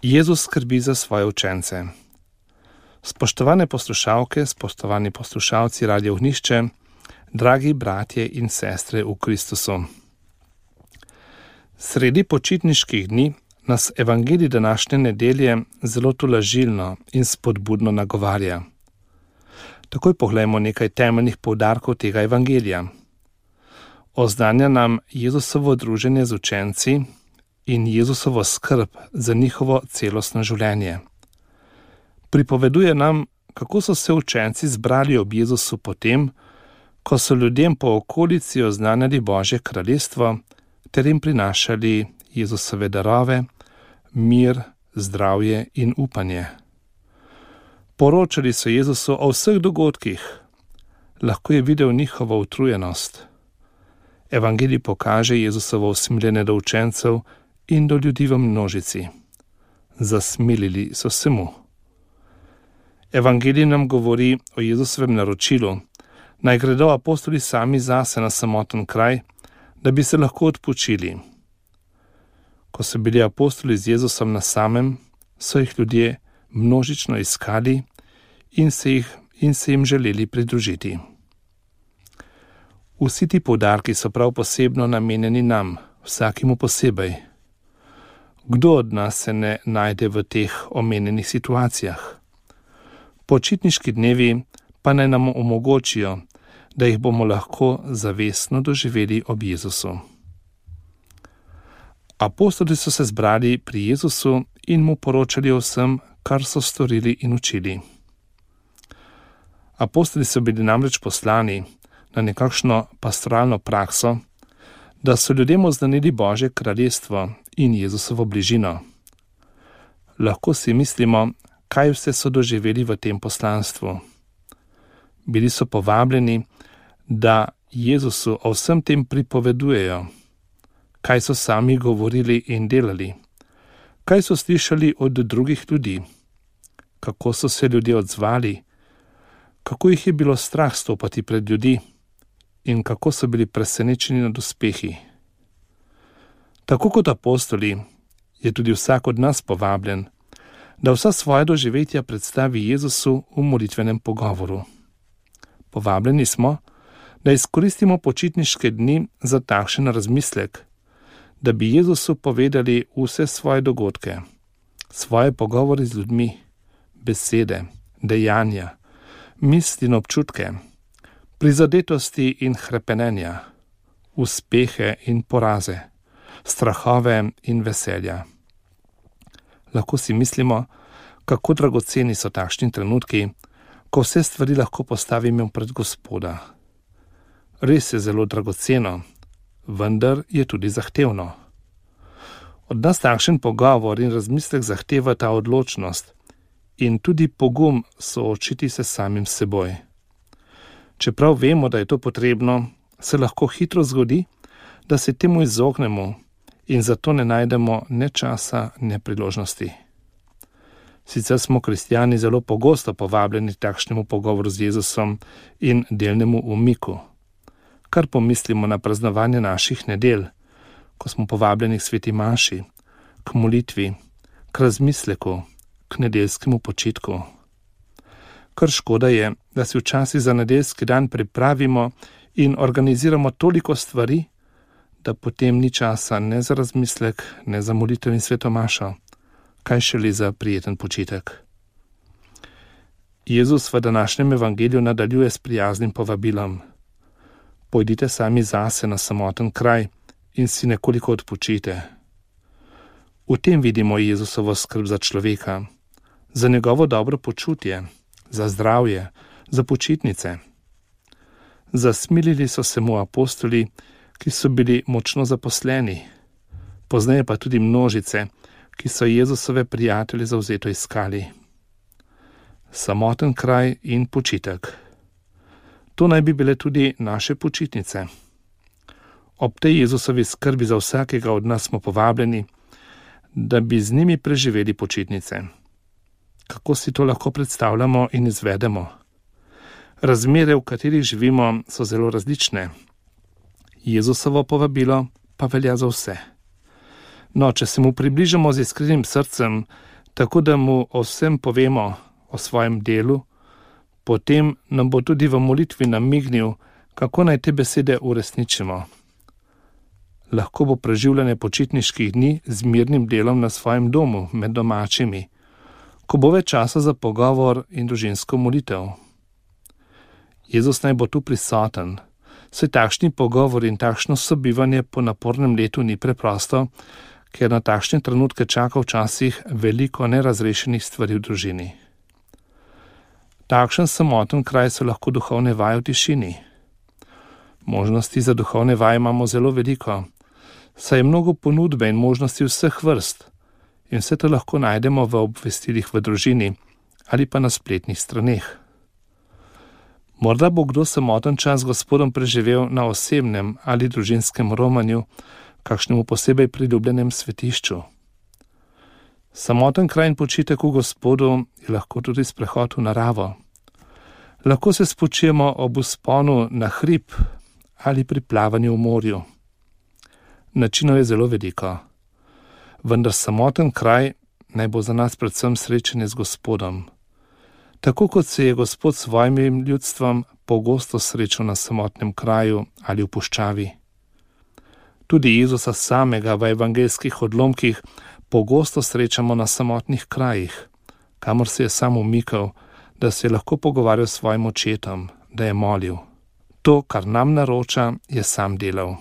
Jezus skrbi za svoje učence. Spoštovane poslušalke, spoštovani poslušalci Radia Ognjišče, dragi bratje in sestre v Kristusu. Sredi počitniških dni nas evangelij današnje nedelje zelo tolažilno in spodbudno nagovarja. Takoj poglejmo nekaj temeljnih poudarkov tega evangelija. Oznanja nam Jezusovo druženje z učenci in Jezusovo skrb za njihovo celostno življenje. Pripoveduje nam, kako so se učenci zbrali ob Jezusu potem, ko so ljudem po okolici oznanjali Božje kraljestvo ter jim prinašali Jezusove darove, mir, zdravje in upanje. Poročali so Jezusu o vseh dogodkih, lahko je videl njihovo utrujenost. Evangelij pokaže Jezusovo usmiljenje do učencev in do ljudi v množici. Zasmilili so se mu. Evangelij nam govori o Jezusovem naročilu, naj gredo apostoli sami zase na samoten kraj, da bi se lahko odpočili. Ko so bili apostoli z Jezusom na samem, so jih ljudje množično iskali in se jim želeli pridružiti. Vsi ti poudarki so prav posebno namenjeni nam, vsakemu posebej. Kdo od nas se ne najde v teh omenjenih situacijah? Počitniški dnevi pa naj nam omogočijo, da jih bomo lahko zavestno doživeli ob Jezusu. Apostoli so se zbrali pri Jezusu in mu poročali o vsem, kar so storili in učili. Apostoli so bili namreč poslani na nekakšno pastoralno prakso, da so ljudem oznanili Božje kraljestvo in Jezusovo bližino. Lahko si mislimo, kaj vse so doživeli v tem poslanstvu. Bili so povabljeni, da Jezusu o vsem tem pripovedujejo, kaj so sami govorili in delali, kaj so slišali od drugih ljudi, kako so se ljudje odzvali, kako jih je bilo strah stopati pred ljudi in kako so bili presenečeni nad uspehi. Tako kot apostoli je tudi vsak od nas povabljen, da vsa svoja doživetja predstavi Jezusu v molitvenem pogovoru. Povabljeni smo, da izkoristimo počitniške dni za takšen razmislek, da bi Jezusu povedali vse svoje dogodke, svoje pogovore z ljudmi, besede, dejanja, misli in občutke, prizadetosti in hrepenenja, uspehe in poraze, strahove in veselja. Lahko si mislimo, kako dragoceni so takšni trenutki, ko vse stvari lahko postavimo pred Gospoda. Res je zelo dragoceno, vendar je tudi zahtevno. Od nas takšen pogovor in razmislek zahteva ta odločnost in tudi pogum soočiti se samim seboj. Čeprav vemo, da je to potrebno, se lahko hitro zgodi, da se temu izognemo in zato ne najdemo ne časa, ne priložnosti. Sicer smo kristjani zelo pogosto povabljeni takšnemu pogovoru z Jezusom in delnemu umiku. Kar pomislimo na praznovanje naših nedelj, ko smo povabljeni k sveti maši, k molitvi, k razmisleku, k nedeljskemu počitku. Kar škoda je, da si včasih za nedeljski dan pripravimo in organiziramo toliko stvari, da potem ni časa ne za razmislek, ne za molitev in sveto mašo, kaj šele za prijeten počitek. Jezus v današnjem evangeliju nadaljuje s prijaznim povabilom. Pojdite sami zase na samoten kraj in si nekoliko odpočite. V tem vidimo Jezusovo skrb za človeka, za njegovo dobro počutje, za zdravje, za počitnice. Zasmilili so se mu apostoli, ki so bili močno zaposleni, pozneje pa tudi množice, ki so Jezusove prijatelje zavzeto iskali. Samoten kraj in počitek. To naj bi bile tudi naše počitnice. Ob tej Jezusovi skrbi za vsakega od nas smo povabljeni, da bi z njimi preživeli počitnice. Kako si to lahko predstavljamo in izvedemo? Razmere, v katerih živimo, so zelo različne. Jezusovo povabilo pa velja za vse. No, če se mu približamo z iskrenim srcem, tako da mu o vsem povemo, o svojem delu, potem nam bo tudi v molitvi namignil, kako naj te besede uresničimo. Lahko bo preživljanje počitniških dni z mirnim delom na svojem domu, med domačimi, ko bo več časa za pogovor in družinsko molitev. Jezus naj bo tu prisoten, saj takšni pogovor in takšno sobivanje po napornem letu ni preprosto, ker na takšne trenutke čaka včasih veliko nerazrešenih stvari v družini. Takšen samoten kraj so lahko duhovne vaje v tišini. Možnosti za duhovne vaje imamo zelo veliko, saj je mnogo ponudbe in možnosti vseh vrst in vse to lahko najdemo v obvestilih v družini ali pa na spletnih straneh. Morda bo kdo samoten čas s Gospodom preživel na osebnem ali družinskem romanju, kakšnemu posebej priljubljenem svetišču. Samoten kraj in počitek v Gospodu je lahko tudi sprehod v naravo. Lahko se spočijemo ob vzponu na hrib ali pri plavanju v morju. Načinov je zelo veliko, vendar samoten kraj naj bo za nas predvsem srečanje z Gospodom. Tako kot se je Gospod s svojim ljudstvom pogosto srečal na samotnem kraju ali v puščavi. Tudi Jezusa samega v evangeljskih odlomkih pogosto srečamo na samotnih krajih, kamor se je sam umikal, da se je lahko pogovarjal s svojim očetom, da je molil. To, kar nam naroča, je sam delal.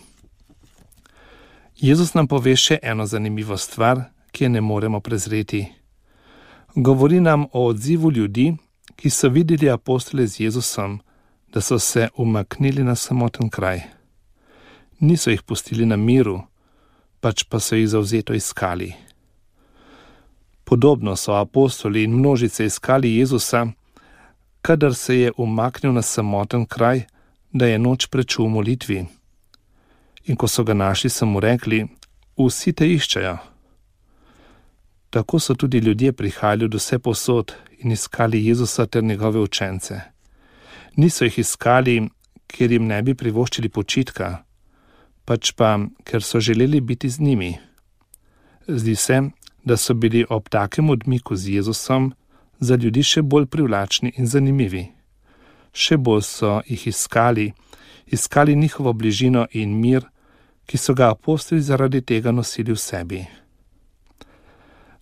Jezus nam pove še eno zanimivo stvar, ki je ne moremo prezreti. Govori nam o odzivu ljudi, ki so videli apostole z Jezusom, da so se umaknili na samoten kraj. Niso jih pustili na miru, pač pa so jih zavzeto iskali. Podobno so apostoli in množice iskali Jezusa, kadar se je umaknil na samoten kraj, da je noč prečul v molitvi. In ko so ga našli, so mu rekli, vsi te iščejo. Tako so tudi ljudje prihajali od vsepovsod in iskali Jezusa ter njegove učence. Niso jih iskali, ker jim ne bi privoščili počitka, pač pa, ker so želeli biti z njimi. Zdi se, da so bili ob takem odmiku z Jezusom za ljudi še bolj privlačni in zanimivi. Še bolj so jih iskali njihovo bližino in mir, ki so ga apostoli zaradi tega nosili v sebi.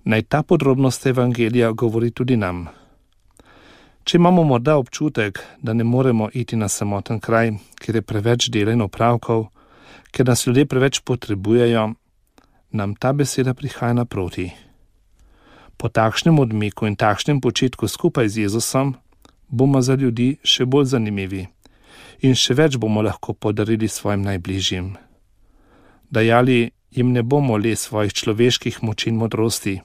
Naj ta podrobnost evangelija govori tudi nam. Če imamo morda občutek, da ne moremo iti na samoten kraj, ker je preveč dela in opravkov, ker nas ljudje preveč potrebujejo, nam ta beseda prihaja naproti. Po takšnem odmiku in takšnem počitku skupaj z Jezusom bomo za ljudi še bolj zanimivi in še več bomo lahko podarili svojim najbližjim. Dajali jim ne bomo le svojih človeških moči in modrosti,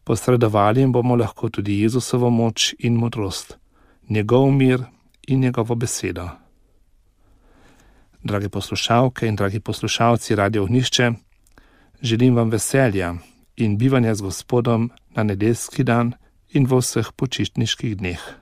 posredovali jim bomo lahko tudi Jezusovo moč in modrost, njegov mir in njegovo besedo. Drage poslušalke in dragi poslušalci Radio Ognjišče, želim vam veselja in bivanja z Gospodom na nedeljski dan in v vseh počitniških dneh.